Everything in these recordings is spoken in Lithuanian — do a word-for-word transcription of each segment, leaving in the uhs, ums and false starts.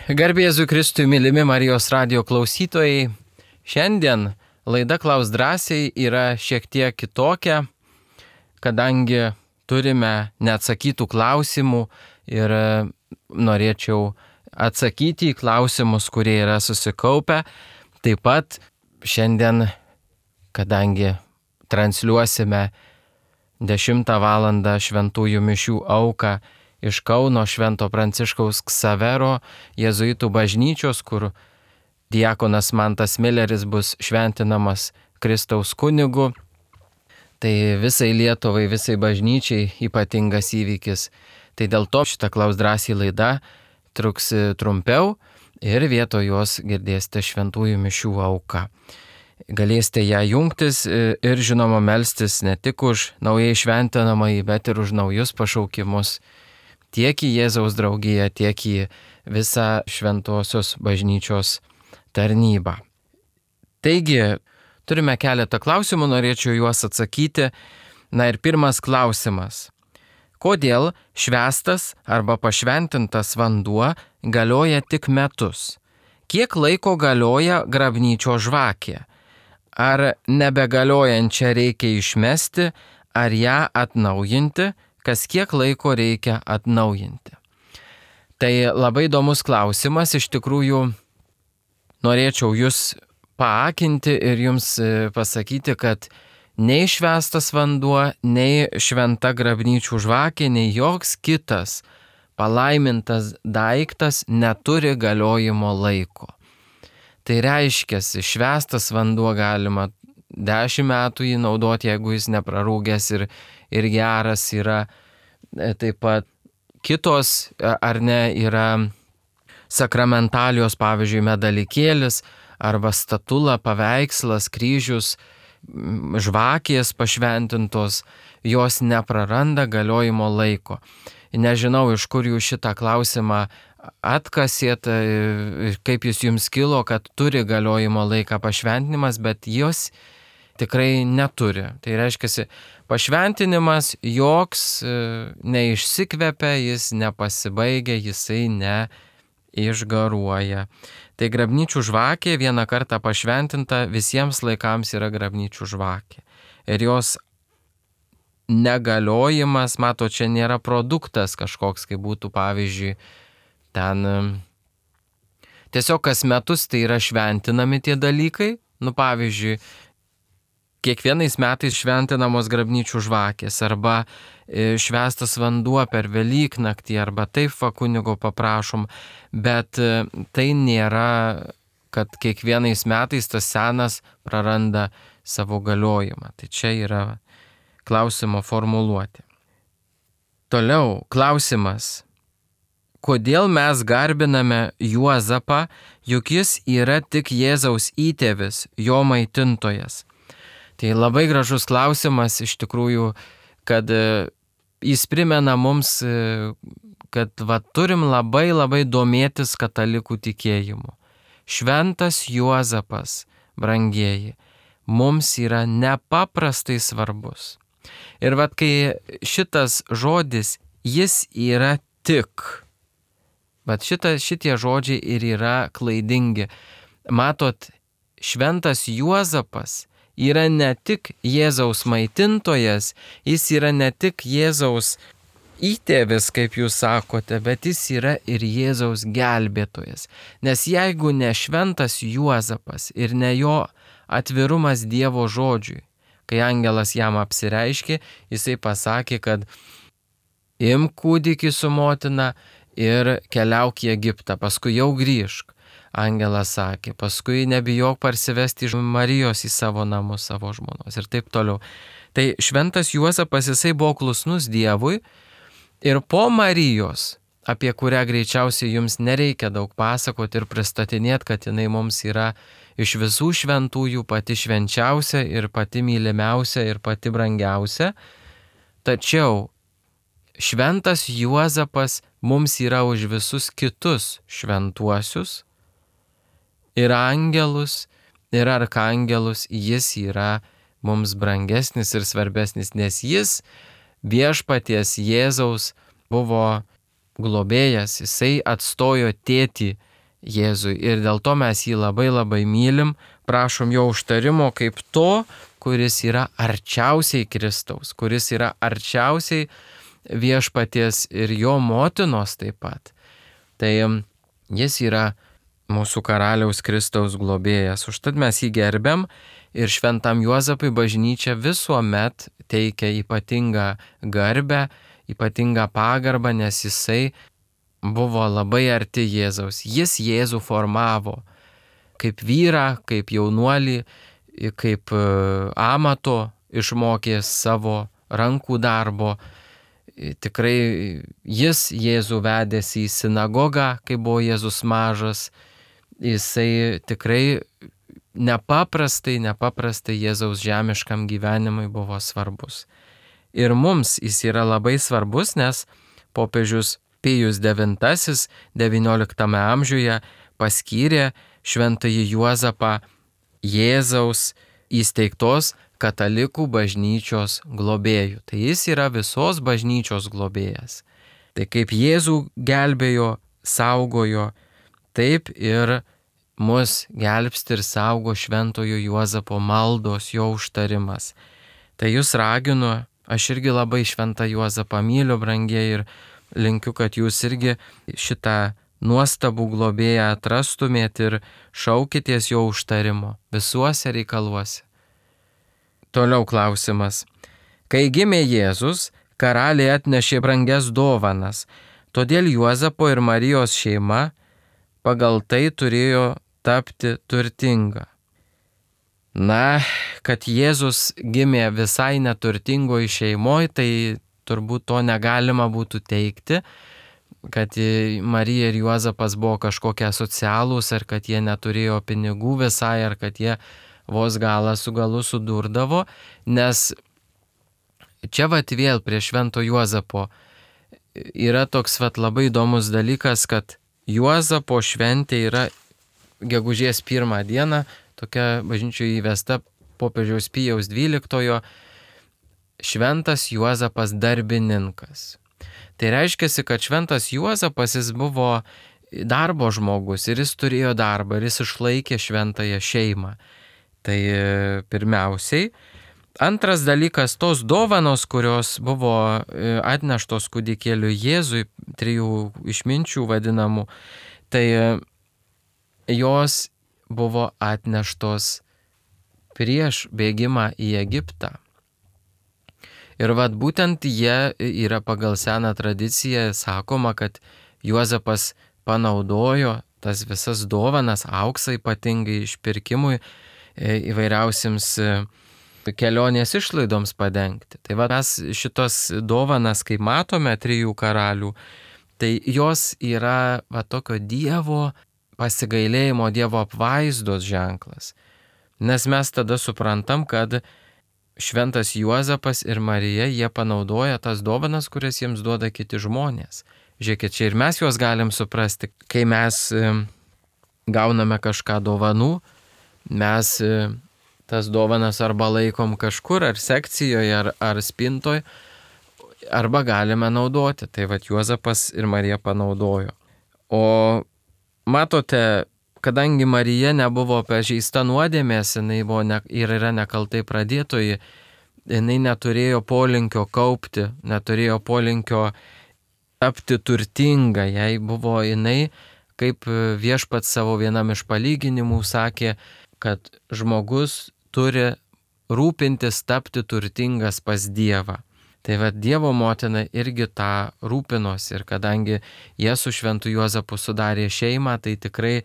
Garbė Jėzui Kristui, mylimi Marijos radijo klausytojai. Šiandien laida Klausk drąsiai yra šiek tiek kitokia, kadangi turime neatsakytų klausimų ir norėčiau atsakyti į klausimus, kurie yra susikaupę. Taip pat šiandien, kadangi transliuosime dešimtą valandą šventųjų mišių auką iš Kauno Švento Pranciškaus Ksavero jėzuitų bažnyčios, kur diakonas Mantas Mileris bus šventinamas Kristaus kunigu. Tai visai Lietuvai, visai bažnyčiai ypatingas įvykis. Tai dėl to šitą Klausk drąsiai laida truks trumpiau ir vietoj jos girdėsite šventųjų mišių auką. Galėsite ją jungtis ir žinoma melstis ne tik už naujai šventinamąjį, bet ir už naujus pašaukimus. Tiek į Jėzaus draugiją, tiek į visą šventosios bažnyčios tarnybą. Taigi, turime keletą klausimų, norėčiau juos atsakyti. Na ir pirmas klausimas. Kodėl švęstas arba pašventintas vanduo galioja tik metus? Kiek laiko galioja grabnyčio žvakė? Ar nebegaliojančią reikia išmesti, ar ją atnaujinti? Kas kiek laiko reikia atnaujinti? Tai labai įdomus klausimas, iš tikrųjų norėčiau jūs paakinti ir jums pasakyti, kad nei švęstas vanduo, nei šventa grabnyčių žvakė, nei joks kitas palaimintas daiktas neturi galiojimo laiko. Tai reiškia, švęstas vanduo galima dešimt metų jį naudoti, jeigu jis neprarūgęs ir, ir geras yra. Taip pat kitos, ar ne, yra sakramentalijos, pavyzdžiui, medalikėlis arba statula, paveikslas, kryžius, žvakės pašventintos, jos nepraranda galiojimo laiko. Nežinau, iš kur jūs šitą klausimą atkasėt, kaip jis jums kilo, kad turi galiojimo laiką pašventinimas, bet jos tikrai neturi. Tai reiškia, pašventinimas joks neišsikvepia, jis nepasibaigia, jisai neišgaruoja. Tai grabnyčių žvakė vieną kartą pašventinta visiems laikams yra grabnyčių žvakė. Ir jos negaliojimas, mato, čia nėra produktas kažkoks, kaip būtų pavyzdžiui, ten tiesiog kas metus tai yra šventinami tie dalykai. Nu pavyzdžiui, kiekvienais metais šventinamos grabnyčių žvakės arba švęstas vanduo per Velyknaktį arba taip va kunigo paprašom, bet tai nėra, kad kiekvienais metais tas senas praranda savo galiojimą. Tai čia yra klausimo formuluotė. Toliau klausimas. Kodėl mes garbiname Juozapą, juk jis yra tik Jėzaus įtėvis, jo maitintojas? Tai labai gražus klausimas iš tikrųjų, kad jis primena mums, kad va, turim labai labai domėtis katalikų tikėjimu. Šventas Juozapas, brangieji, mums yra nepaprastai svarbus. Ir vat kai šitas žodis, jis yra tik, bet šita, šitie žodžiai ir yra klaidingi. Matot, šventas Juozapas yra ne tik Jėzaus maitintojas, jis yra ne tik Jėzaus įtėvis, kaip jūs sakote, bet jis yra ir Jėzaus gelbėtojas. Nes jeigu ne šventas Juozapas ir ne jo atvirumas Dievo žodžiui, kai angelas jam apsireiškė, jisai pasakė, kad imk kūdikį su motina ir keliauk į Egiptą, paskui jau grįžk. Angelas sakė, paskui nebijok parsivesti iš Marijos į savo namus, savo žmonos ir taip toliau. Tai šventas Juozapas, jisai buvo klusnus Dievui ir po Marijos, apie kurią greičiausiai jums nereikia daug pasakoti ir pristatinėti, kad jinai mums yra iš visų šventųjų pati švenčiausia ir pati mylimiausia ir pati brangiausia. Tačiau šventas Juozapas mums yra už visus kitus šventuosius, ir angelus, ir arkangelus, jis yra mums brangesnis ir svarbesnis, nes jis viešpaties Jėzaus buvo globėjas, jisai atstojo tėtį Jėzui ir dėl to mes jį labai labai mylim, prašom jo užtarimo kaip to, kuris yra arčiausiai Kristaus, kuris yra arčiausiai viešpaties ir jo motinos taip pat. Tai jis yra mūsų karaliaus Kristaus globėjas. Užtat mes jį gerbiam ir šventam Juozapui bažnyčia visuomet teikia ypatingą garbę, ypatingą pagarbą, nes jisai buvo labai arti Jėzaus. Jis Jėzų formavo kaip vyrą, kaip jaunuolį, kaip amato išmokė savo rankų darbo. Tikrai jis Jėzų vedėsi į sinagogą, kai buvo Jėzus mažas. Jisai tikrai nepaprastai, nepaprastai Jėzaus žemiškam gyvenimui buvo svarbus. Ir mums jis yra labai svarbus, nes popiežius Pijus devintasis devynioliktame amžiuje paskyrė šventąjį Juozapą Jėzaus įsteigtos katalikų bažnyčios globėjų. Tai jis yra visos bažnyčios globėjas. Tai kaip Jėzų gelbėjo, saugojo, taip ir mus gelbsti ir saugo šventojo Juozapo maldos, jo užtarimas. Tai jūs raginu, aš irgi labai šventą Juozapą myliu, brangieji, ir linkiu, kad jūs irgi šitą nuostabų globėją atrastumėt ir šaukitės jo užtarimo visuose reikaluose. Toliau klausimas. Kai gimė Jėzus, karaliai atnešė brangias dovanas, todėl Juozapo ir Marijos šeima pagal tai turėjo tapti turtinga. Na, kad Jėzus gimė visai neturtingoje šeimoje, tai turbūt to negalima būtų teikti, kad Marija ir Juozapas buvo kažkokie asocialūs, ar kad jie neturėjo pinigų visai, ar kad jie vos galą su galu sudurdavo, nes čia vat vėl prie švento Juozapo yra toks vat labai įdomus dalykas, kad Juozapo šventė yra gegužės pirmą dieną, tokia bažnyčioje įvesta popiežiaus Pijaus dvyliktojo, šventas Juozapas darbininkas. Tai reiškia, kad šventas Juozapas jis buvo darbo žmogus ir jis turėjo darbą ir jis išlaikė šventąją šeimą. Tai pirmiausiai. Antras dalykas, tos dovanos, kurios buvo atneštos kūdikėliui Jėzui, trijų išminčių vadinamų, tai jos buvo atneštos prieš bėgimą į Egiptą. Ir vat būtent jie yra pagal seną tradiciją sakoma, kad Juozapas panaudojo tas visas dovanas, auksą ypatingai išpirkimui, įvairiausiams kelionės išlaidoms padengti. Tai va mes šitos dovanas, kai matome trijų karalių, tai jos yra va tokio Dievo pasigailėjimo, Dievo apvaizdos ženklas. Nes mes tada suprantam, kad šventas Juozapas ir Marija, jie panaudoja tas dovanas, kurias jiems duoda kiti žmonės. Žiūrėkit, čia ir mes juos galim suprasti, kai mes gauname kažką dovanų, mes tas dovanas arba laikom kažkur, ar sekcijoje, ar, ar spintoje, arba galime naudoti. Tai vat Juozapas ir Marija panaudojo. O matote, kadangi Marija nebuvo pažeista nuodėmės, jinai buvo ne, ir yra nekaltai pradėtoji, jinai neturėjo polinkio kaupti, neturėjo polinkio tapti turtinga, jai buvo jinai, kaip viešpats savo vienam iš palyginimų sakė, kad žmogus turi rūpintis tapti turtingas pas Dievą. Tai va Dievo motina irgi tą rūpinosi ir kadangi jie su šventu Juozapu sudarė šeimą, tai tikrai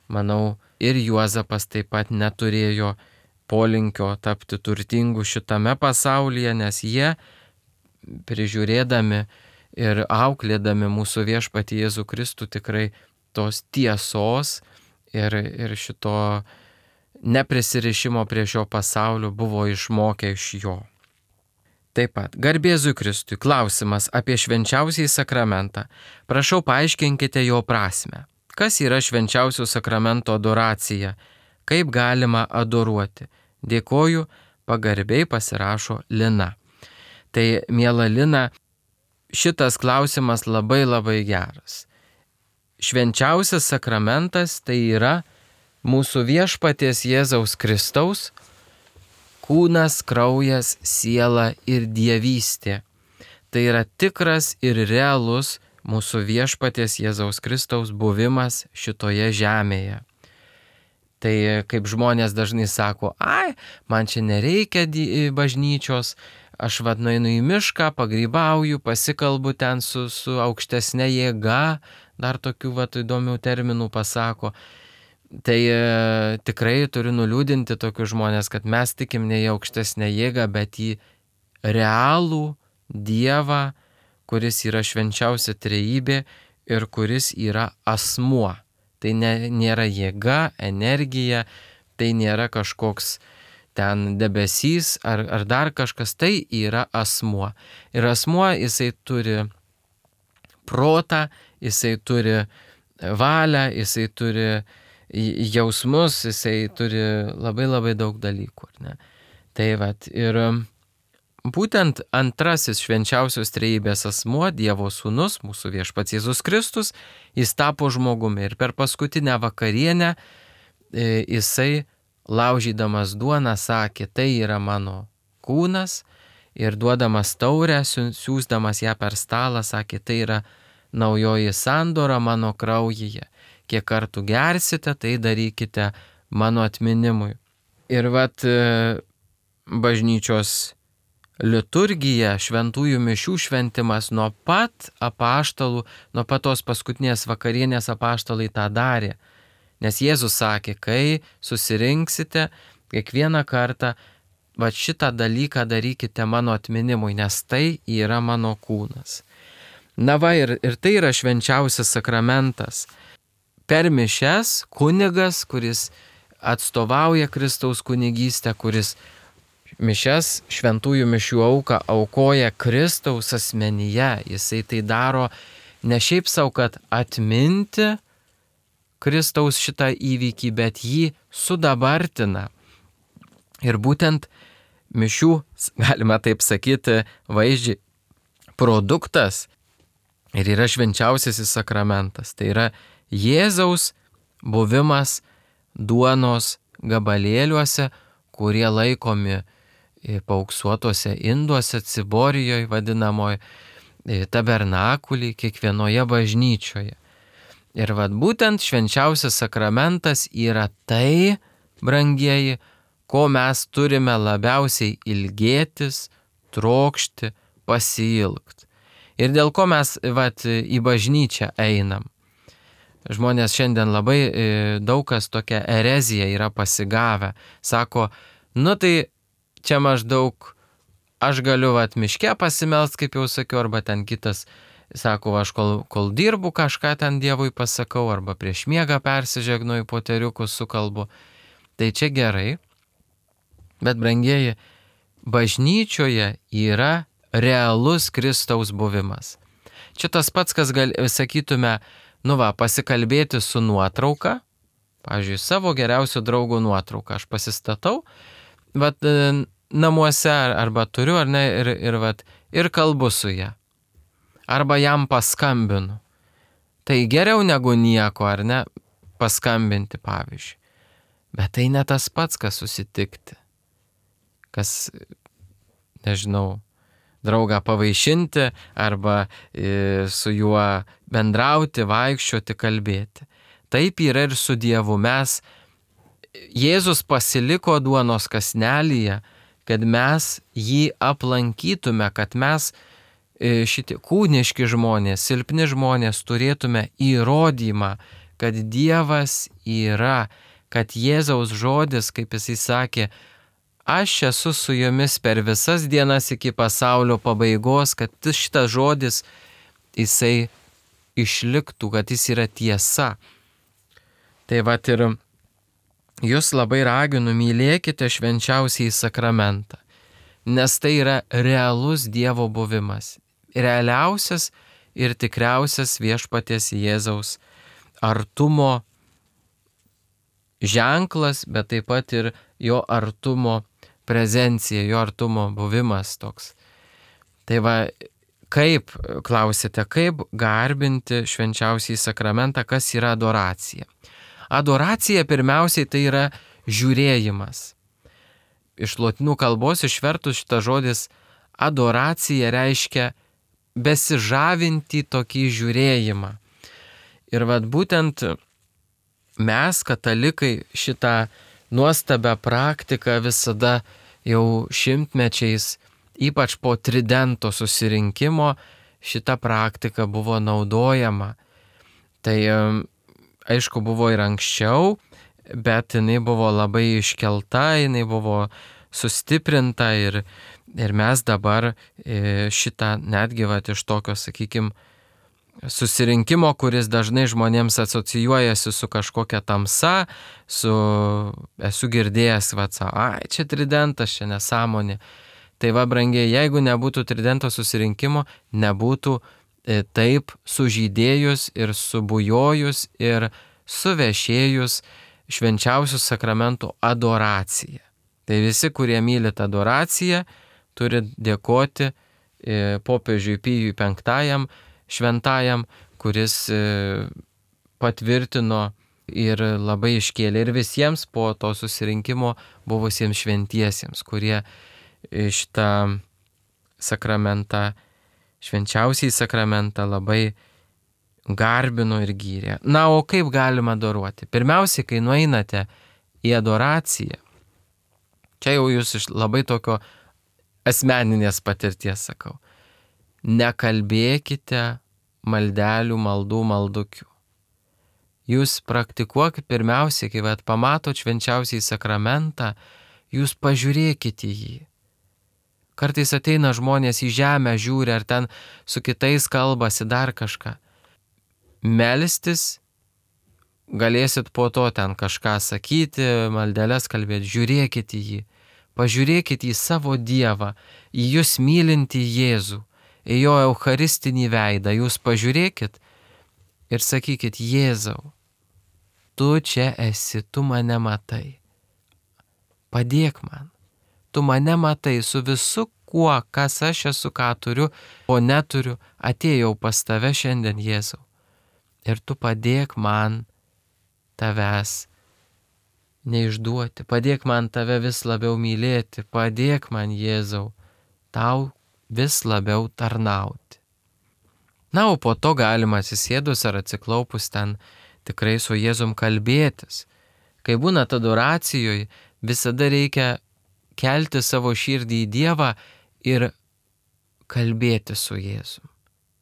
manau, ir Juozapas taip pat neturėjo polinkio tapti turtingu šitame pasaulyje, nes jie prižiūrėdami ir auklėdami mūsų viešpatį Jėzų Kristų tikrai tos tiesos ir, ir šito neprisirišimo prie šio pasaulio buvo išmokę iš jo. Taip pat, garbėzui Kristui, klausimas apie švenčiausiąjį sakramentą. Prašau, paaiškinkite jo prasmę. Kas yra švenčiausio sakramento adoracija? Kaip galima adoruoti? Dėkoju, pagarbiai pasirašo Lina. Tai, miela Lina, šitas klausimas labai labai geras. švenčiausias sakramentas tai yra mūsų viešpaties Jėzaus Kristaus kūnas, kraujas, siela ir dievystė. Tai yra tikras ir realus mūsų viešpaties Jėzaus Kristaus buvimas šitoje žemėje. Tai kaip žmonės dažnai sako, ai, man čia nereikia bažnyčios, aš vad nueinu į mišką, pagrybauju, pasikalbu ten su, su aukštesnė jėga, dar tokių vat įdomių terminų pasako. Tai e, tikrai turiu nuliūdinti tokius žmonės, kad mes tikim ne į aukštesnę jėgą, bet į realų Dievą, kuris yra švenčiausia trejybė ir kuris yra asmuo. Tai ne, nėra jėga, energija, tai nėra kažkoks ten debesys ar, ar dar kažkas, tai yra asmuo. Ir asmuo jisai turi protą, jisai turi valią, jisai turi jausmus, jisai turi labai labai daug dalykų. Ne? Tai vat, ir būtent antrasis švenčiausios trejybės asmuo, Dievo sūnus, mūsų viešpats Jėzus Kristus, jis tapo žmogumi. Ir per paskutinę vakarienę e, jisai, laužydamas duoną, sakė, tai yra mano kūnas, ir duodamas taurę, siūsdamas ją per stalą, sakė, tai yra naujoji sandora mano kraujyje. Kiek kartų gersite, tai darykite mano atminimui. Ir vat bažnyčios liturgija, šventųjų mišių šventimas nuo pat apaštalų, nuo pat tos paskutinės vakarienės apaštalai tą darė. Nes Jėzus sakė, kai susirinksite, kiekvieną kartą, va šitą dalyką darykite mano atminimui, nes tai yra mano kūnas. Na va, ir, ir tai yra švenčiausias sakramentas. Per mišias kunigas, kuris atstovauja Kristaus kunigystę, kuris mišias, šventųjų mišių auką aukoja Kristaus asmenyje. Jisai tai daro ne šiaip savo, kad atminti Kristaus šitą įvykį, bet jį sudabartina. Ir būtent mišių, galima taip sakyti, vaizdžiai, produktas ir yra švenčiausiasis sakramentas. Tai yra Jėzaus buvimas duonos gabalėliuose, kurie laikomi paauksuotuose induose, ciborijoje vadinamoje, tabernakulį, kiekvienoje bažnyčioje. Ir vad būtent švenčiausias sakramentas yra tai, brangieji, ko mes turime labiausiai ilgėtis, trokšti, pasiilgti. Ir dėl ko mes vat, į bažnyčią einam. Žmonės šiandien labai daug kas tokia erezija yra pasigavę. Sako, nu tai čia maždaug aš galiu vat miške pasimelst, kaip jau sakiau, arba ten kitas, sako, aš kol, kol dirbu kažką ten Dievui pasakau, arba prieš miegą persižegnuoju, poteriukus sukalbu. Tai čia gerai, bet brangieji, bažnyčioje yra realus Kristaus buvimas. Čia tas pats, kas gal, sakytume, nu va, pasikalbėti su nuotrauka, pavyzdžiui, savo geriausio draugo nuotrauką aš pasistatau, vat, namuose arba turiu, ar ne, ir, ir, vat, ir kalbu su ja. Arba jam paskambinu. Tai geriau negu nieko, ar ne, paskambinti, pavyzdžiui. Bet tai ne tas pats, kas susitikti. Kas, nežinau, draugą pavaišinti arba e, su juo bendrauti, vaikščioti, kalbėti. Taip yra ir su Dievu. Mes, Jėzus pasiliko duonos kąsnelyje, kad mes jį aplankytume, kad mes e, šitie kūniški žmonės, silpni žmonės turėtume įrodymą, kad Dievas yra, kad Jėzaus žodis, kaip jisai sakė, aš esu su jumis per visas dienas iki pasaulio pabaigos, kad šitas žodis jisai išliktų, kad jis yra tiesa. Tai vat ir jūs labai raginu, mylėkite švenčiausiąjį sakramentą, nes tai yra realus Dievo buvimas, realiausias ir tikriausias viešpaties Jėzaus artumo ženklas, bet taip pat ir jo artumo prezencija, jo artumo buvimas toks. Tai va, kaip, klausėte, kaip garbinti švenčiausiąjį sakramentą, kas yra adoracija. Adoracija pirmiausiai tai yra žiūrėjimas. Iš lotynų kalbos išvertus šitas žodis adoracija reiškia besižavinti tokį žiūrėjimą. Ir vat būtent mes, katalikai, šitą nuostabią praktiką visada jau šimtmečiais, ypač po Tridento susirinkimo, šita praktika buvo naudojama. Tai aišku buvo ir anksčiau, bet jinai buvo labai iškelta, jinai buvo sustiprinta ir, ir mes dabar šitą netgi vat iš tokio, sakykime, susirinkimo, kuris dažnai žmonėms asocijuojasi su kažkokia tamsa, su esu girdėjęs, va, ai, čia Tridentas, čia nesąmonė. Tai va, brangiai, jeigu nebūtų Tridento susirinkimo, nebūtų e, taip sužydėjus ir subujojus ir suvešėjus švenčiausių sakramentų adoracija. Tai visi, kurie mylit adoraciją, turi dėkoti e, popiežiui Pijui penktajam, šventajam, kuris e, patvirtino ir labai iškėlė ir visiems po to susirinkimo buvusiems šventiesiems, kurie šitą sakramentą, švenčiausiai sakramentą labai garbino ir gyrė. Na, o kaip galima adoruoti? Pirmiausiai, kai nueinate į adoraciją, čia jau jūs iš labai tokio asmeninės patirties sakau, nekalbėkite maldelių, maldų, maldukių. Jūs praktikuokit pirmiausiai, kai vat pamatot švenčiausiai sakramentą, jūs pažiūrėkite jį. Kartais ateina žmonės į žemę, žiūri, ar ten su kitais kalbasi dar kažką. Melstis, galėsit po to ten kažką sakyti, maldeles kalbėti, žiūrėkit į jį. Pažiūrėkit į savo Dievą, į jūs mylintį Jėzų, į jo eucharistinį veidą. Jūs pažiūrėkit ir sakykit, Jėzau, tu čia esi, tu mane matai. Padėk man. Tu mane matai su visu kuo, kas aš esu, ką turiu, o neturiu, atėjau pas tave šiandien, Jėzau. Ir tu padėk man tavęs neišduoti, padėk man tave vis labiau mylėti, padėk man, Jėzau, tau vis labiau tarnauti. Na, o po to galima atsisėdus ar atsiklaupus ten tikrai su Jėzum kalbėtis. Kai būna adoracijoje, visada reikia kelti savo širdį į Dievą ir kalbėti su Jėzum.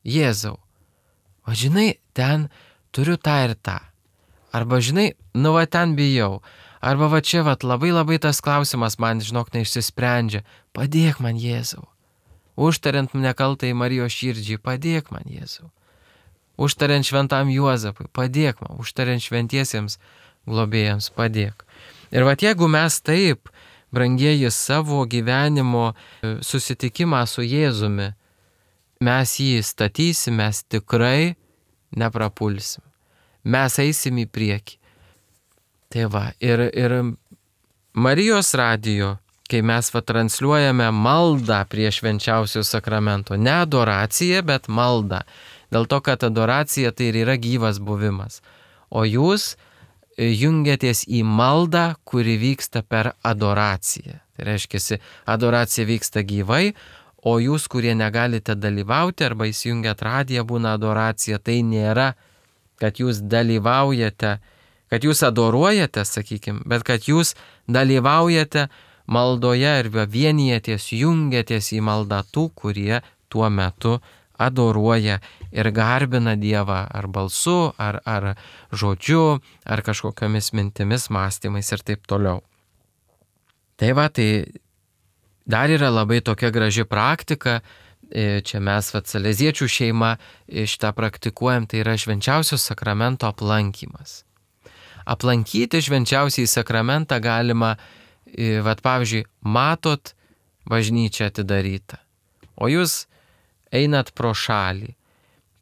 Jėzau, o žinai, ten turiu tą ir tą. Arba žinai, nu va ten bijau. Arba va čia va labai labai tas klausimas man, žinok, neišsisprendžia. Padėk man, Jėzau. Užtariant nekaltai Marijos širdžiai, padėk man, Jėzau. Užtariant šventam Juozapui, padėk man. Užtariant šventiesiems globėjams, padėk. Ir va jeigu mes taip, brangieji, savo gyvenimo susitikimą su Jėzumi, mes jį statysim, mes tikrai neprapulsim. Mes eisim į priekį. Tai va, ir, ir Marijos radijo, kai mes va transliuojame maldą prie švenčiausio sakramento, ne adoracija, bet malda. Dėl to, kad adoracija tai ir yra gyvas buvimas. O jūs jungiatės į maldą, kuri vyksta per adoraciją. Tai reiškia, adoracija vyksta gyvai, o jūs, kurie negalite dalyvauti arba įsijungiat radiją, būna adoracija, tai nėra, kad jūs dalyvaujate, kad jūs adoruojate, sakykime, bet kad jūs dalyvaujate maldoje ir vienijatės, jungiatės į maldą tų, kurie tuo metu adoruoja ir garbina Dievą ar balsu, ar, ar žodžiu, ar kažkokiamis mintimis, mąstymais ir taip toliau. Tai va, tai dar yra labai tokia graži praktika, čia mes va saleziečių šeima šitą praktikuojam, tai yra švenčiausio sakramento aplankymas. Aplankyti švenčiausiai sakramentą galima, va pavyzdžiui, matot bažnyčią atidarytą, o jūs einat pro šalį.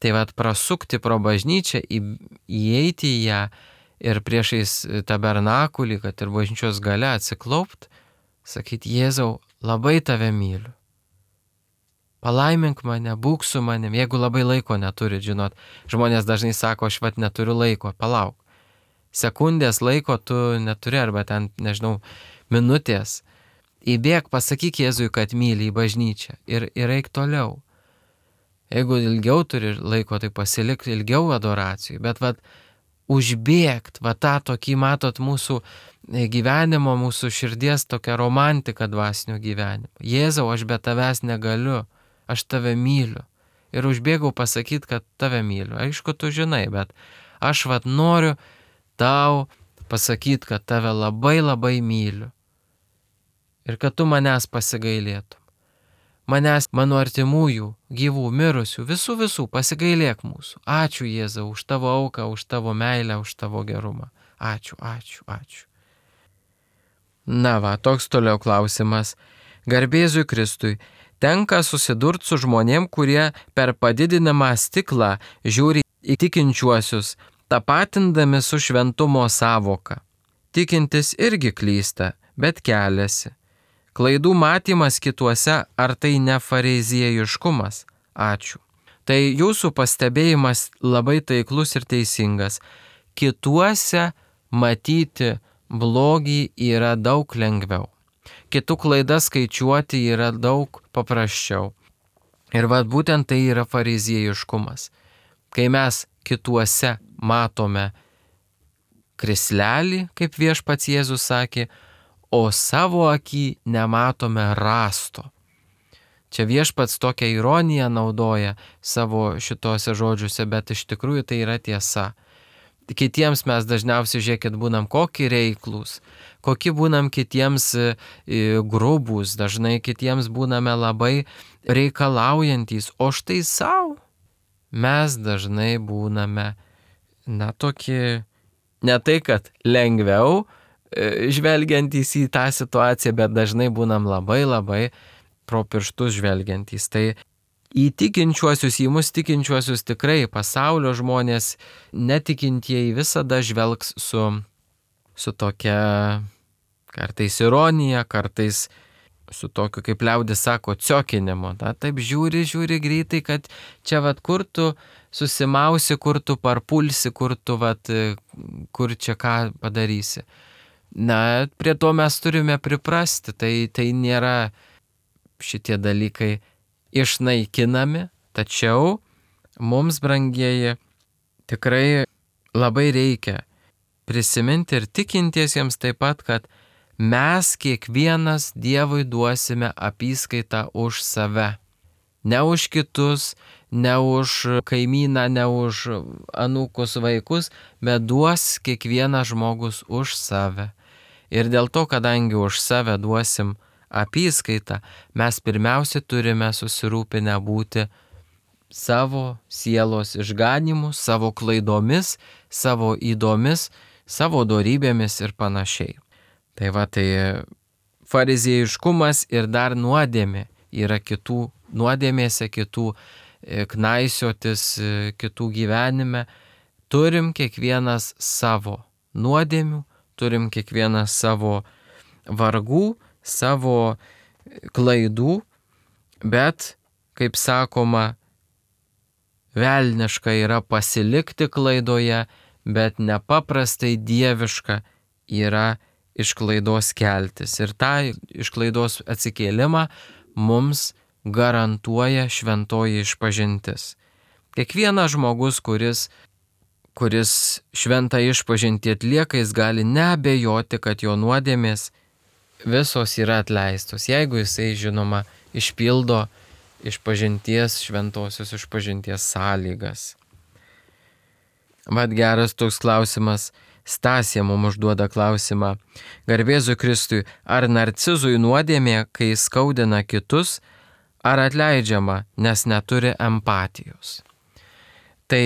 Tai vat prasukti pro bažnyčią, į, įeiti į ją ir priešais tabernakulį, kad ir bažnyčios gale atsiklaupt, sakyti, Jėzau, labai tave myliu. palaimink mane, būk su manim, jeigu labai laiko neturit, žinot. Žmonės dažnai sako, aš vat neturiu laiko, palauk. Sekundės laiko tu neturi, arba ten, nežinau, minutės. Įbėk, pasakyk Jėzui, kad myli į bažnyčią ir, ir eik toliau. Jeigu ilgiau turi laiko, tai pasilik ilgiau adoracijų, bet vat užbėgt, va tą tokį, matot, mūsų gyvenimo, mūsų širdies tokią romantiką dvasinio gyvenimo. Jėzau, aš be tavęs negaliu, aš tave myliu. Ir užbėgau pasakyti, kad tave myliu. Aišku, tu žinai, bet aš vat noriu tau pasakyti, kad tave labai labai myliu. Ir kad tu manęs pasigailėtum. Manęs, mano artimųjų, gyvų, mirusių, visų visų pasigailėk mūsų. Ačiū Jėzau už tavo auką, už tavo meilę, už tavo gerumą. Ačiū, ačiū, ačiū. Na va, toks toliau klausimas. Garbėzui Kristui, tenka susidurti su žmonėm, kurie per padidinamą stiklą žiūri į tikinčiuosius, tapatindami su šventumo sąvoka. Tikintis irgi klysta, bet keliasi. Klaidų matymas kituose, ar tai ne fariziejiškumas? Ačiū. Tai jūsų pastebėjimas labai taiklus ir teisingas. Kituose matyti blogį yra daug lengviau. Kitų klaidas skaičiuoti yra daug paprasčiau. Ir vad būtent tai yra fariziejiškumas. Kai mes kituose matome krislelį, kaip viešpats Jėzus sakė, o savo akį nematome rasto. Čia viešpats tokią ironiją naudoja savo šitose žodžiuose, bet iš tikrųjų tai yra tiesa. Kitiems mes dažniausiai, žiūrėkit, būnam kokie reiklūs, kokie būnam kitiems grubūs, dažnai kitiems būname labai reikalaujantis, o štai savo mes dažnai būname, na, tokie, ne tai, kad lengviau, žvelgiantys į tą situaciją, bet dažnai būnam labai labai pro pirštus žvelgiantys. Tai į tikinčiuosius, į mus tikinčiuosius tikrai pasaulio žmonės, netikintieji visada žvelgs su, su tokia kartais ironija, kartais su tokiu, kaip liaudis sako, ciokinimu. Ta, taip žiūri, žiūri greitai, kad čia vat kur tu susimausi, kur tu parpulsi, kur tu vat, kur čia ką padarysi. Na, prie to mes turime priprasti, tai, tai nėra šitie dalykai išnaikinami, tačiau mums, brangieji, tikrai labai reikia prisiminti ir tikintiesiems taip pat, kad mes kiekvienas Dievui duosime apyskaitą už save. Ne už kitus, ne už kaimyną, ne už anūkus vaikus, bet duos kiekvienas žmogus už save. Ir dėl to, kadangi už save duosim apyskaitą, mes pirmiausia turime susirūpinę būti savo sielos išganimu, savo klaidomis, savo įdomis, savo dorybėmis ir panašiai. Tai va, tai fariziejiškumas ir dar nuodėmė yra kitų nuodėmėse, kitų knaisiotis, kitų gyvenime. Turim kiekvienas savo nuodėmių, turim kiekvienas savo vargų, savo klaidų, bet, kaip sakoma, velniška yra pasilikti klaidoje, bet nepaprastai dieviška yra iš klaidos keltis. Ir tą iš klaidos atsikėlimą mums garantuoja šventoji išpažintis. Kiekvienas žmogus, kuris kuris šventą išpažintį atlieka, jis gali neabejoti, kad jo nuodėmės visos yra atleistos, jeigu jisai, žinoma, išpildo išpažinties, šventosios išpažinties sąlygas. Mat geras toks klausimas, Stasė mums užduoda klausimą. Garbėzui Kristui, ar narcizui nuodėmė, kai skaudina kitus, ar atleidžiama, nes neturi empatijos? Tai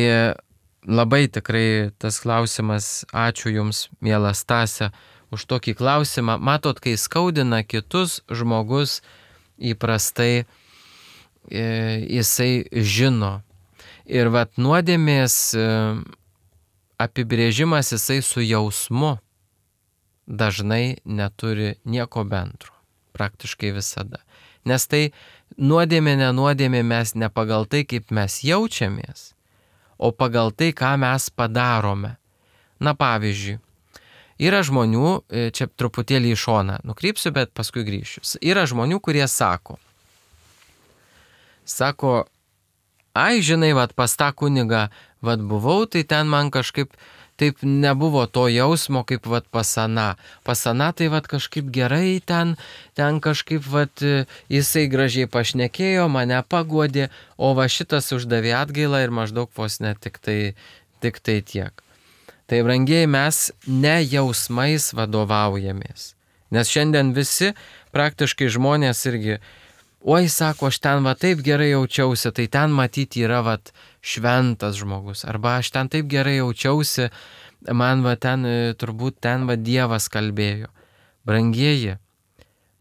labai tikrai tas klausimas, ačiū Jums, miela Stasė, už tokį klausimą. Matot, kai skaudina kitus, žmogus įprastai e, jisai žino. Ir vat nuodėmės e, apibrėžimas jisai su jausmu dažnai neturi nieko bendro, praktiškai visada. Nes tai nuodėmė, nenuodėmė mes ne pagal tai, kaip mes jaučiamės, o pagal tai, ką mes padarome. Na pavyzdžiui, yra žmonių, čia truputėlį į šoną nukrypsiu, bet paskui grįšiu. Yra žmonių, kurie sako, sako, ai, žinai, vat pas tą kunigą, vat buvau, tai ten man kažkaip taip nebuvo to jausmo, kaip vat pasana. Pasana tai vat kažkaip gerai ten, ten kažkaip vat jisai gražiai pašnekėjo, mane paguodė, o va šitas uždavė atgailą ir maždaug vos ne tik tai, tik tai tiek. Tai brangiai mes ne jausmais vadovaujamės. Nes šiandien visi praktiškai žmonės irgi, oi, sako, aš ten va taip gerai jaučiausi, tai ten matyti yra va šventas žmogus. Arba aš ten taip gerai jaučiausi, man va ten, turbūt ten va Dievas kalbėjo. Brangieji,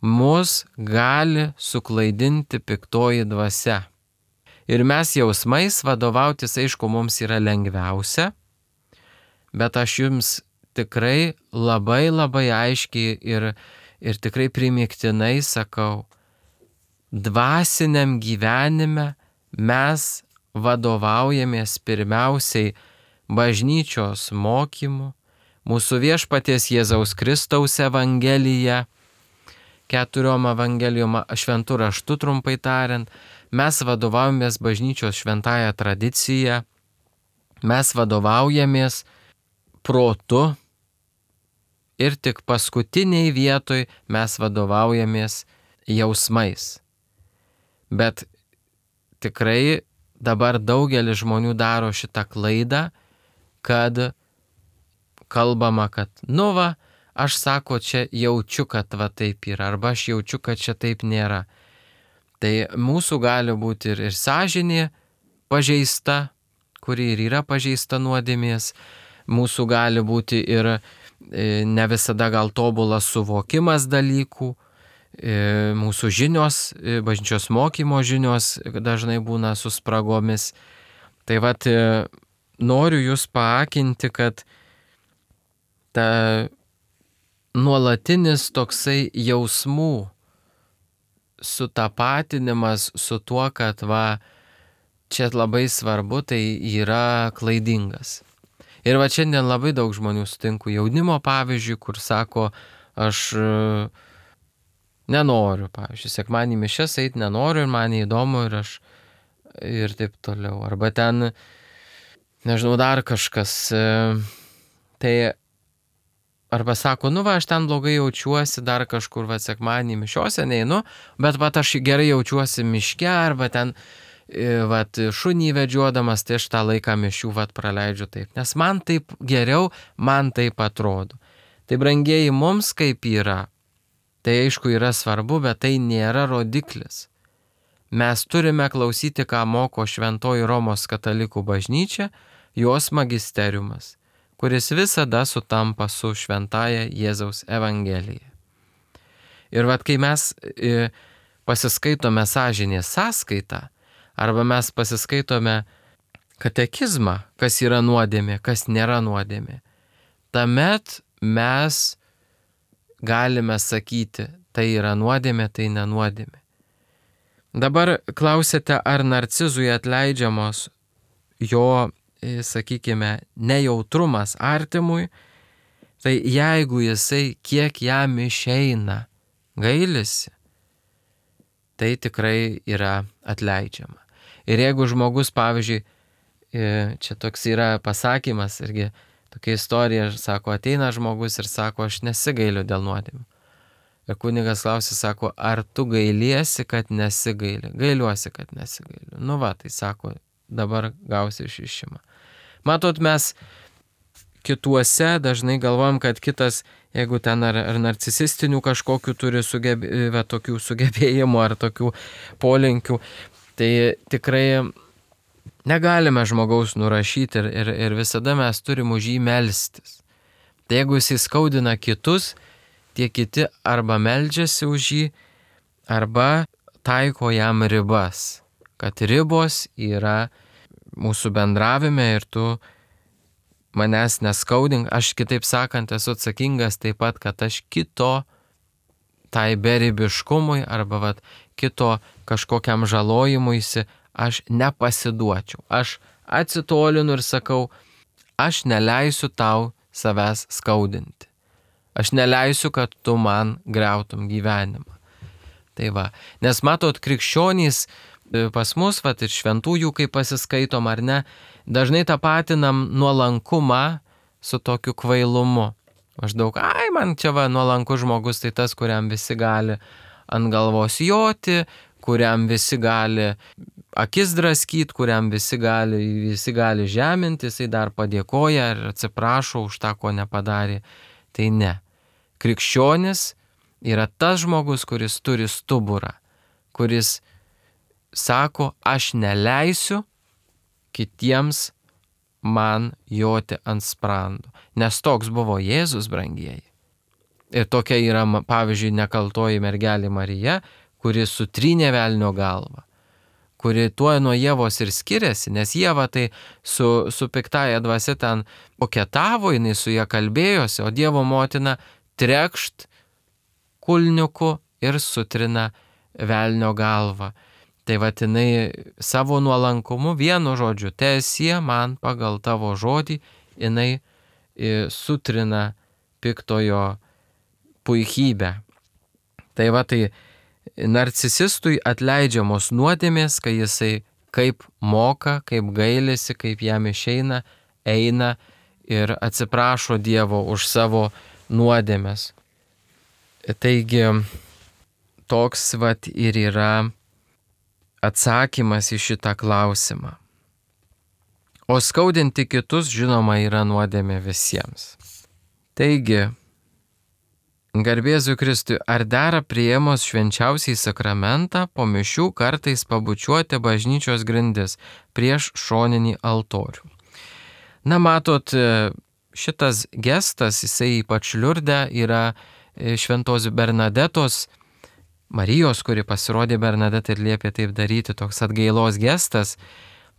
mus gali suklaidinti piktoji dvasia. Ir mes jausmais vadovautis, aišku, mums yra lengviausia, bet aš jums tikrai labai labai aiškiai ir, ir tikrai primiktinai sakau, dvasiniam gyvenime mes vadovaujamės pirmiausiai bažnyčios mokymu, mūsų viešpaties Jėzaus Kristaus evangelija, keturiom evangelijom šventų raštų trumpai tariant, mes vadovaujamės bažnyčios šventąją tradiciją, mes vadovaujamės protu ir tik paskutiniai vietoj mes vadovaujamės jausmais. Bet tikrai dabar daugelis žmonių daro šitą klaidą, kad kalbama, kad nu va, aš sako, čia jaučiu, kad va taip yra, arba aš jaučiu, kad čia taip nėra. Tai mūsų gali būti ir, ir sąžinė pažeista, kuri ir yra pažeista nuodėmės, mūsų gali būti ir ne visada gal tobulas suvokimas dalykų, mūsų žinios, bažnyčios mokymo žinios dažnai būna su spragomis. Tai vat noriu jūs paakinti, kad ta nuolatinis toksai jausmų sutapatinimas su tuo, kad va, čia labai svarbu, tai yra klaidingas. Ir va šiandien labai daug žmonių sutinku jaunimo pavyzdžiui, kur sako, aš nenoriu, pavyzdžiui, sekmadienį mišias eit nenoriu ir man neįdomu ir aš ir taip toliau. Arba ten, nežinau, dar kažkas. Tai arba sako, nu va, aš ten blogai jaučiuosi, dar kažkur va sekmadienį mišiose neinu, bet va aš gerai jaučiuosi miške arba ten vat, šunį vedžiodamas, tai aš tą laiką mišių vat, praleidžiu taip. Nes man taip geriau, man taip atrodo. Tai brangieji, mums kaip yra, tai aišku yra svarbu, bet tai nėra rodiklis. Mes turime klausyti, ką moko Šventoji Romos katalikų bažnyčia, jos magisteriumas, kuris visada sutampa su šventąja Jėzaus evangelija. Ir vat, kai mes e, pasiskaitome sąžinės sąskaitą, arba mes pasiskaitome katekizmą, kas yra nuodėmė, kas nėra nuodėmė, tuomet mes galime sakyti, tai yra nuodėmė, tai nenuodėmė. Dabar klausėte, ar narcizui atleidžiamos jo, sakykime, nejautrumas artimui, tai jeigu jisai kiek jam išeina gailisi, tai tikrai yra atleidžiama. Ir jeigu žmogus, pavyzdžiui, čia toks yra pasakymas, irgi tokia istorija, sako, ateina žmogus ir sako, aš nesigailiu dėl nuodėmių. Ir kunigas klausė, sako, ar tu gailiesi, kad nesigaili? Gailiuosi, kad nesigailiu. Nu va, tai sako, dabar gausi išrišimą. Matot, mes kituose dažnai galvojam, kad kitas, jeigu ten ar, ar narcisistinių kažkokių turi sugebė, tokių sugebėjimų ar tokių polinkių, tai tikrai negalime žmogaus nurašyti ir, ir, ir visada mes turim už jį melstis. Tai jeigu jis įskaudina kitus, tie kiti arba meldžiasi už jį, arba taiko jam ribas, kad ribos yra mūsų bendravime ir tu manęs neskaudink, aš kitaip sakant esu atsakingas taip pat, kad aš kito tai beribiškumui arba vat, kito kažkokiam žalojimuisi, aš nepasiduočiau. Aš atsitolinu ir sakau, aš neleisiu tau savęs skaudinti. Aš neleisiu, kad tu man griautum gyvenimą. Tai va, nes matot, krikščionys pas mus, va, ir šventųjų, kai pasiskaitom ar ne, dažnai tapatinam nuolankumą su tokiu kvailumu. Maždaug, ai, man čia va nuolankus žmogus, tai tas, kuriam visi gali ant galvos joti, kuriam visi gali akis draskyti, kuriam visi gali, visi gali žeminti, jisai dar padėkoja ir atsiprašo už tą, ko nepadarė. Tai ne. Krikščionis yra tas žmogus, kuris turi stuburą, kuris sako, aš neleisiu kitiems man joti ant sprando. Nes toks buvo Jėzus, brangieji. Ir tokia yra, pavyzdžiui, nekaltoji mergelė Marija, kuri sutrynė velnio galvą, kuri tuo nuo Ievos ir skiriasi, nes Ieva tai su, su piktaja dvasia ten koketavo, jinai su ją kalbėjosi, o Dievo motina trekšt kulniuku ir sutrina velnio galvą. Tai vat jinai savo nuolankumu, vienu žodžiu, teesie man pagal tavo žodį, jinai sutrina piktojo puikybę. Tai va, tai narcisistui atleidžiamos nuodėmės, kai jisai kaip moka, kaip gailisi, kaip jam išeina, eina ir atsiprašo Dievo už savo nuodėmės. Taigi, toks vat ir yra atsakymas į šitą klausimą. O skaudinti kitus, žinoma, yra nuodėmė visiems. Taigi, garbėzui Kristui, ar dera priėmus švenčiausiai sakramentą po mišių kartais pabučiuoti bažnyčios grindis prieš šoninį altorių? Na, matot, šitas gestas, jisai ypač Liurde, yra šventos Bernadetos, Marijos, kuri pasirodė Bernadetą ir liepė taip daryti, toks atgailos gestas,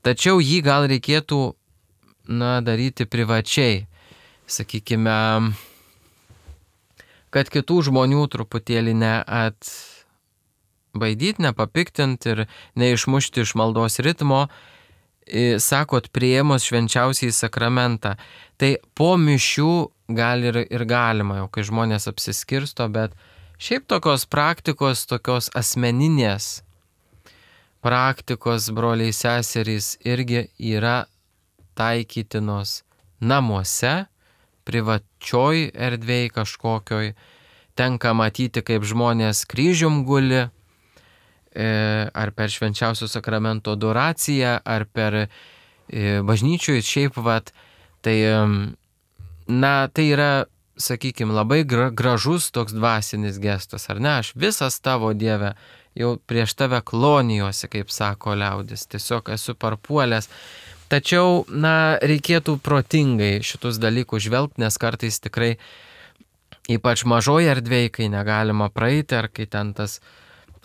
tačiau jį gal reikėtų, na, daryti privačiai, sakykime, kad kitų žmonių truputėlį neatbaidyti, nepapiktinti ir neišmušti iš maldos ritmo, sakot, priėmus švenčiausiai sakramentą. Tai po mišių gal ir, ir galima, jau kai žmonės apsiskirsto, bet šiaip tokios praktikos, tokios asmeninės praktikos, broliai seserys, irgi yra taikytinos namuose, privačioj erdvėj kažkokioj. Tenka matyti, kaip žmonės kryžium guli, ar per švenčiausio sakramento adoraciją, ar per bažnyčioj šiaip vat. Tai, na, tai yra, sakykime, labai gražus toks dvasinis gestas, ar ne? Aš visas tavo, Dieve, jau prieš tave klonijuosi, kaip sako liaudis, tiesiog esu parpuolęs. Tačiau, na, reikėtų protingai šitus dalykus žvelgti, nes kartais tikrai, ypač mažoje erdvėje, kai negalima praeiti, ar kai ten tas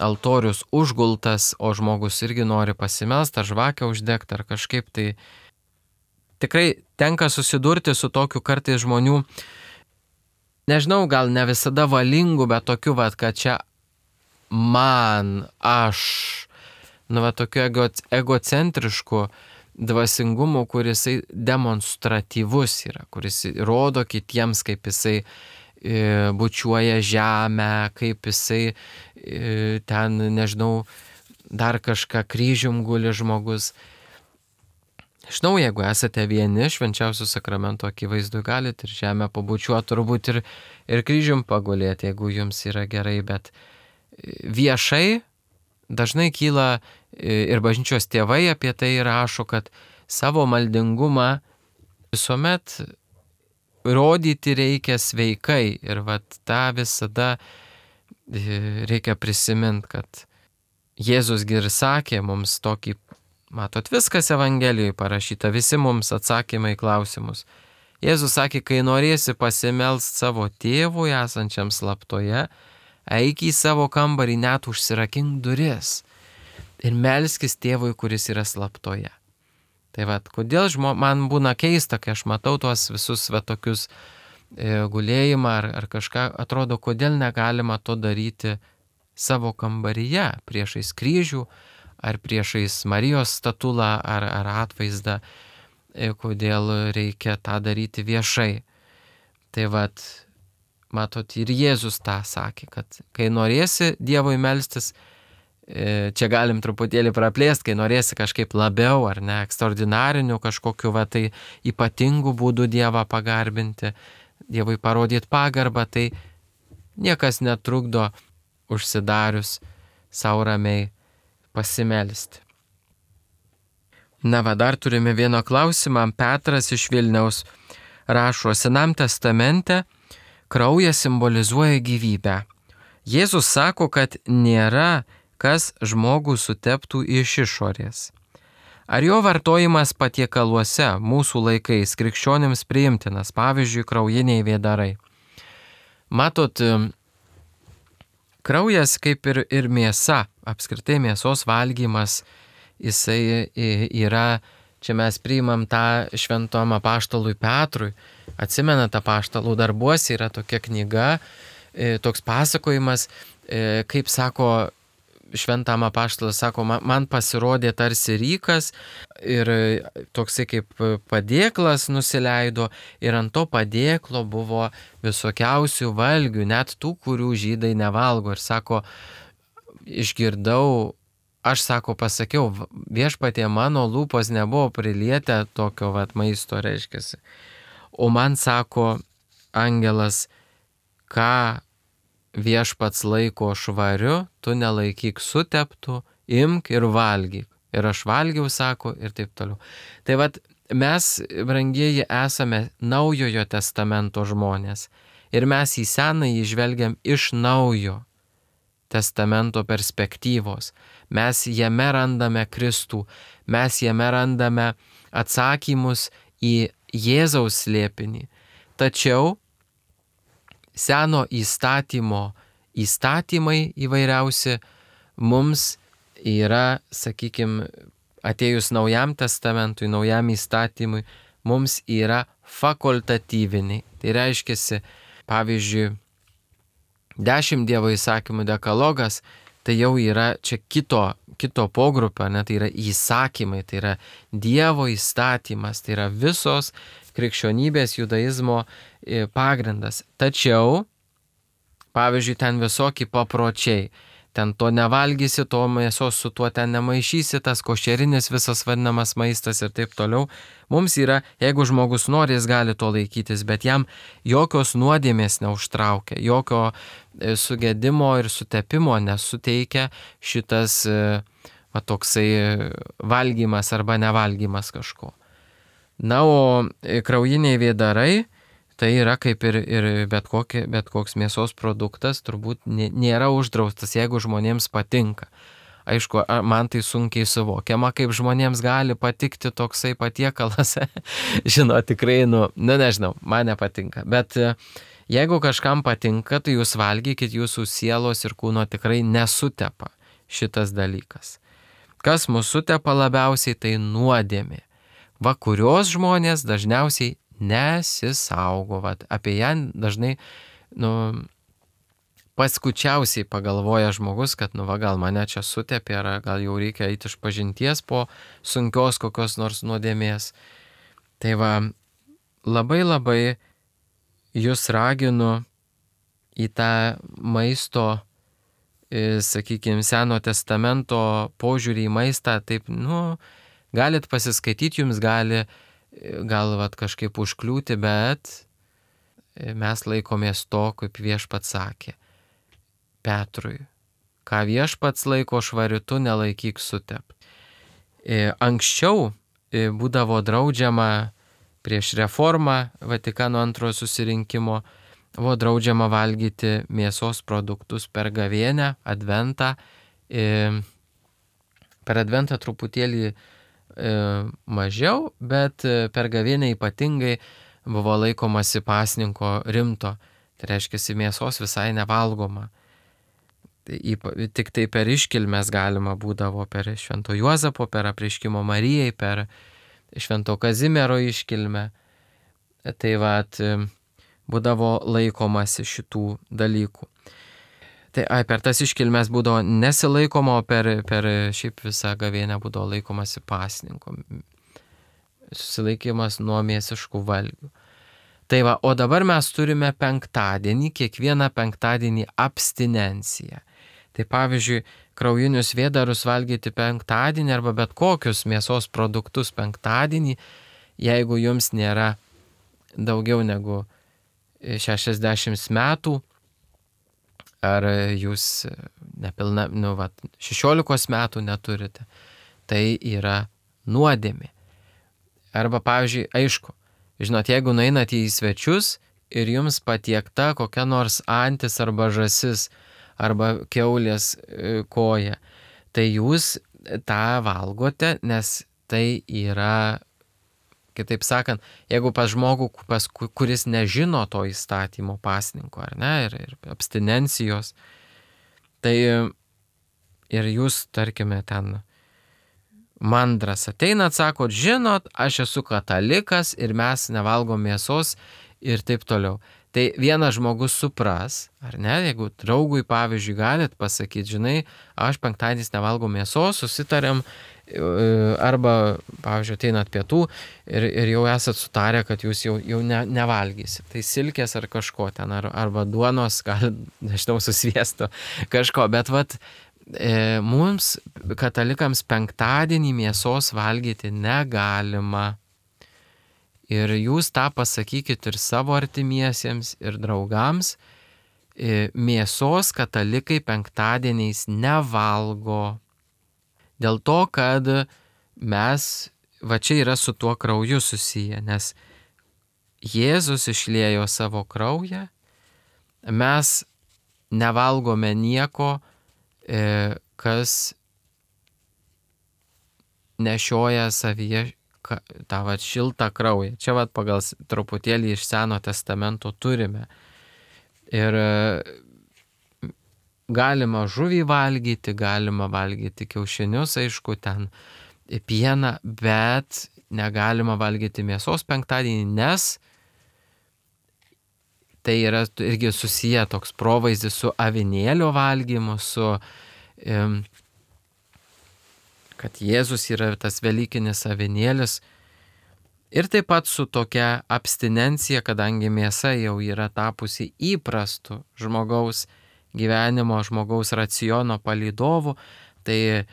altorius užgultas, o žmogus irgi nori pasimelsti, ar žvakę uždegti, ar kažkaip, tai tikrai tenka susidurti su tokiu kartais žmonių, nežinau, gal ne visada valingų, bet tokiu, vat, kad čia man, aš, nu, va, tokiu ego, egocentrišku dvasingumu, kuris demonstratyvus yra, kuris rodo kitiems, kaip jisai e, bučiuoja žemę, kaip jisai e, ten, nežinau, dar kažką kryžium guli žmogus. Žinau, jeigu esate vieni, švenčiausio sakramento akivaizdu galite ir žemę pabučiuoti, turbūt ir, ir kryžium pagulėti, jeigu jums yra gerai, bet viešai dažnai kyla ir bažnyčios tėvai apie tai rašo, kad savo maldingumą visuomet rodyti reikia sveikai ir vat tą visada reikia prisiminti, kad Jėzusgi ir sakė mums tokį, matot, viskas Evangelijoje parašyta, visi mums atsakymai į klausimus. Jėzus sakė, kai norėsi pasimelst savo tėvui esančiam slaptoje, eik į savo kambarį, net užsirakink duris ir melskis tėvui, kuris yra slaptoje. Tai vat, kodėl žmo, man būna keista, kai aš matau tuos visus va, tokius e, gulėjimą ar, ar kažką, atrodo, kodėl negalima to daryti savo kambaryje, priešais kryžių, ar priešais Marijos statulą, ar, ar atvaizdą, kodėl reikia tą daryti viešai. Tai vat, matot, ir Jėzus tą sakė, kad kai norėsi Dievui melstis, čia galim truputėlį praplėsti, kai norėsi kažkaip labiau ar ne, ekstraordinarinių kažkokiu va tai ypatingų būdų Dievą pagarbinti, Dievui parodyti pagarbą, tai niekas netrukdo užsidarius savo ramiai pasimelsti. Na va, dar turime vieną klausimą. Petras iš Vilniaus rašo, Senam testamente kraujas simbolizuoja gyvybę. Jėzus sako, kad nėra kas žmogų suteptų iš išorės. Ar jo vartojimas patiekaluose mūsų laikais krikščionims priimtinas, pavyzdžiui, kraujiniai vėdarai? Matot, kraujas kaip ir, ir mėsa, apskritai mėsos valgymas, jisai yra, čia mes priimam tą šventom apaštalui Petrui, atsimenat, apaštalų darbuose yra tokia knyga, toks pasakojimas, kaip sako, šventam apaštalas sako, man pasirodė tarsi rykas ir toksai kaip padėklas nusileido ir ant to padėklo buvo visokiausių valgių, net tų, kurių žydai nevalgo. Ir sako, išgirdau, aš sako, pasakiau, viešpatie mano lūpos nebuvo prilietę tokio vat maisto, reiškiasi. O man sako angelas, ką viešpats laiko švariu, tu nelaikyk suteptų, imk ir valgyk. Ir aš valgiau, sako, ir taip toliau. Tai vat mes, brangieji, esame Naujojo testamento žmonės. Ir mes į Senąjį žvelgiam iš Naujo testamento perspektyvos. Mes jame randame Kristų, mes jame randame atsakymus į Jėzaus slėpinį. Tačiau Seno įstatymo įstatymai įvairiausi mums yra, sakykime, atėjus Naujam testamentui, Naujam įstatymui, mums yra fakultatyviniai. Tai reiškiasi, pavyzdžiui, dešimt Dievo įsakymų dekalogas, tai jau yra čia kito, kito pogrupio, ne, tai yra įsakymai, tai yra Dievo įstatymas, tai yra visos krikščionybės, judaizmo pagrindas. Tačiau, pavyzdžiui, ten visokie papročiai, ten to nevalgysi, to mėsos su tuo ten nemaišysi, tas košerinis visas vadinamas maistas ir taip toliau. Mums yra, jeigu žmogus nori, jis gali to laikytis, bet jam jokios nuodėmės neužtraukia, jokio sugedimo ir sutepimo nesuteikia šitas va, toksai valgymas arba nevalgymas kažko. Na, o kraujiniai vėdarai, tai yra kaip ir, ir bet, kokie, bet koks mėsos produktas, turbūt nėra uždraustas, jeigu žmonėms patinka. Aišku, man tai sunkiai suvokiama, kaip žmonėms gali patikti toksai patiekalas. Žinau, tikrai, nu, nu, nežinau, man nepatinka. Bet jeigu kažkam patinka, tai jūs valgykit, jūsų sielos ir kūno tikrai nesutepa šitas dalykas. Kas mūsų sutepa labiausiai, tai nuodėmė. Va, kurios žmonės dažniausiai nesisaugo. Va, apie ją dažnai, nu, paskučiausiai pagalvoja žmogus, kad, nu, va, gal mane čia sutepė, ar gal jau reikia eiti iš pažinties po sunkios kokios nors nuodėmės. Tai va, labai labai jūs raginu į tą maisto, sakykime, Seno testamento požiūrį į maistą, taip, nu, galit pasiskaityti, jums gali gal vat, kažkaip užkliūti, bet mes laikomės to, kaip viešpats sakė Petrui. Ką viešpats laiko švariu, tu nelaikyk sutept. Anksčiau būdavo draudžiama prieš reformą Vatikano antrojo susirinkimo, buvo draudžiama valgyti mėsos produktus per gavėnią, adventą. Per adventą truputėlį mažiau, bet per gavėnią ypatingai buvo laikomasi pasninko rimto. Tai reiškia, mėsos visai nevalgoma. Tik tai per iškilmes galima būdavo per Švento Juozapo, per apreiškimo Marijai, per Švento Kazimiero iškilmę. Tai vat, būdavo laikomasi šitų dalykų. Tai ai, per tas iškilmes būdavo nesilaikoma, o per, per šiaip visą gavėnę būdavo laikomasi pasninko. Susilaikymas nuo mėsiškų valgių. Tai va, o dabar mes turime penktadienį, kiekvieną penktadienį abstinenciją. Tai pavyzdžiui, kraujinius vėdarus valgyti penktadienį arba bet kokius mėsos produktus penktadienį, jeigu jums nėra daugiau negu šešiasdešimt metų, ar jūs nepilna, nu, va, šešiolikos metų neturite, tai yra nuodėmė. Arba, pavyzdžiui, aišku, žinot, jeigu nueinate į svečius ir jums patiekta kokia nors antis arba žąsis arba kiaulės koja, tai jūs tą valgote, nes tai yra, kitaip sakant, jeigu pas žmogų, pas, kuris nežino to įstatymo pasninko, ar ne, ir, ir abstinencijos, tai ir jūs, tarkime, ten mandras ateinat, sakot, žinot, aš esu katalikas ir mes nevalgom mėsos ir taip toliau. Tai vienas žmogus supras, ar ne, jeigu draugui, pavyzdžiui, galit pasakyti, žinai, aš penktadieniais nevalgau mėsos, susitariam, arba, pavyzdžiui, ateinat pietų ir, ir jau esat sutarę, kad jūs jau, jau ne, nevalgysit. Tai silkės ar kažko ten, ar, arba duonos, gal, nežinau, su sviesto, kažko, bet vat, e, mums, katalikams, penktadienį mėsos valgyti negalima. Ir jūs tą pasakykit ir savo artimiesiems, ir draugams. Mėsos katalikai penktadieniais nevalgo. Dėl to, kad mes, va čia yra su tuo krauju susiję, nes Jėzus išliejo savo kraują, mes nevalgome nieko, kas nešioja savyje tą vat šiltą kraują. Čia vat pagal truputėlį iš Seno testamento turime. Ir galima žuvį valgyti, galima valgyti kiaušinius, aišku, ten pieną, bet negalima valgyti mėsos penktadienį, nes tai yra irgi susiję toks provaizdis su avinėlio valgymu, su kad Jėzus yra tas velykinis avinėlis, ir taip pat su tokia abstinencija, kadangi mėsa jau yra tapusi įprastu žmogaus gyvenimo, žmogaus raciono palydovu, tai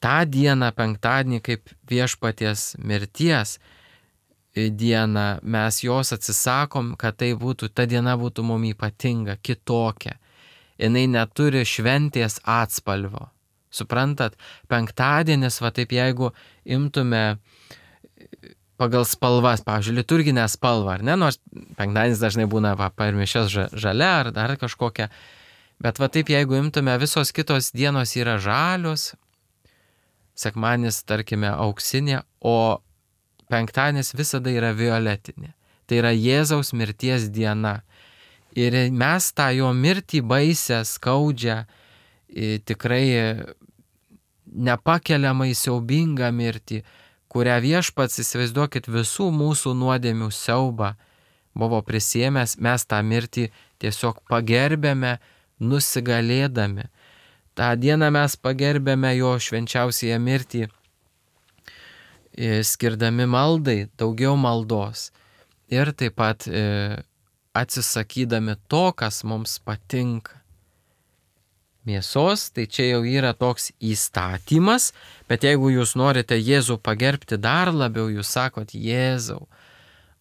tą dieną, penktadienį, kaip viešpaties mirties dieną, mes jos atsisakom, kad tai būtų, ta diena būtų mum ypatinga, kitokia. Jinai neturi šventės atspalvio. Suprantat, penktadienis, va taip jeigu imtume pagal spalvas, pavyzdžiui, liturginę spalvą, ar ne, nors penktadienis dažnai būna va, per mišias žalia ar dar kažkokia, bet va taip jeigu imtume, visos kitos dienos yra žalios, sekmadienis, tarkime, auksinė, o penktadienis visada yra violetinė. Tai yra Jėzaus mirties diena. Ir mes tą jo mirtį baisę, skaudžią, tikrai nepakeliamai siaubingą mirtį, kurią viešpats, įsivaizduokit, visų mūsų nuodėmių siaubą buvo prisiėmęs, mes tą mirtį tiesiog pagerbėme, nusigalėdami. tą dieną mes pagerbėme jo švenčiausiąją mirtį, skirdami maldai daugiau maldos ir taip pat atsisakydami to, kas mums patinka. Mėsos, tai čia jau yra toks įstatymas, bet jeigu jūs norite Jėzų pagerbti dar labiau, jūs sakot, Jėzau,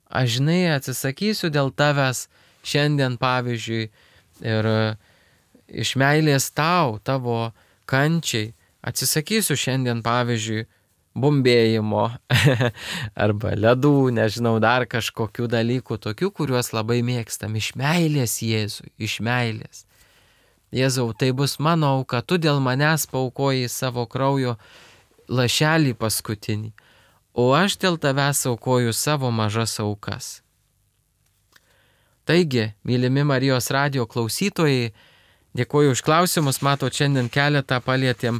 aš žinai atsisakysiu dėl tavęs šiandien pavyzdžiui ir iš meilės tau, tavo kančiai, atsisakysiu šiandien pavyzdžiui bumbėjimo arba ledų, nežinau, dar kažkokių dalykų, tokių, kuriuos labai mėgstam, iš meilės Jėzui, iš meilės. Jėzau, tai bus mano auka, tu dėl manęs paaukoji savo kraujo lašelį paskutinį, o aš dėl tavęs aukoju savo mažas aukas. Taigi, mylimi Marijos radijo klausytojai, dėkoju už klausimus, mato, šiandien keletą palietėm,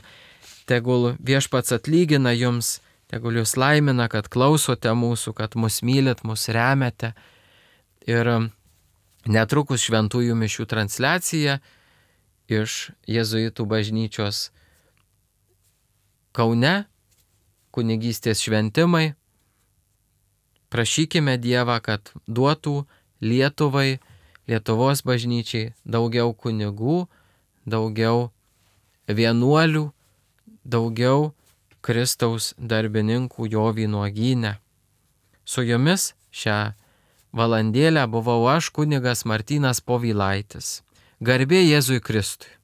tegul viešpats atlygina jums, tegul jūs laimina, kad klausote mūsų, kad mus mylit, mus remiate. Ir netrukus šventųjų mišių transliacija iš jėzuitų bažnyčios Kaune, kunigystės šventimai. Prašykime Dievą, kad duotų Lietuvai, Lietuvos bažnyčiai daugiau kunigų, daugiau vienuolių, daugiau Kristaus darbininkų jo vynuogyne. Su jumis šią valandėlę buvau aš, kunigas Martynas Povilaitis. Garbė Jėzui Kristui.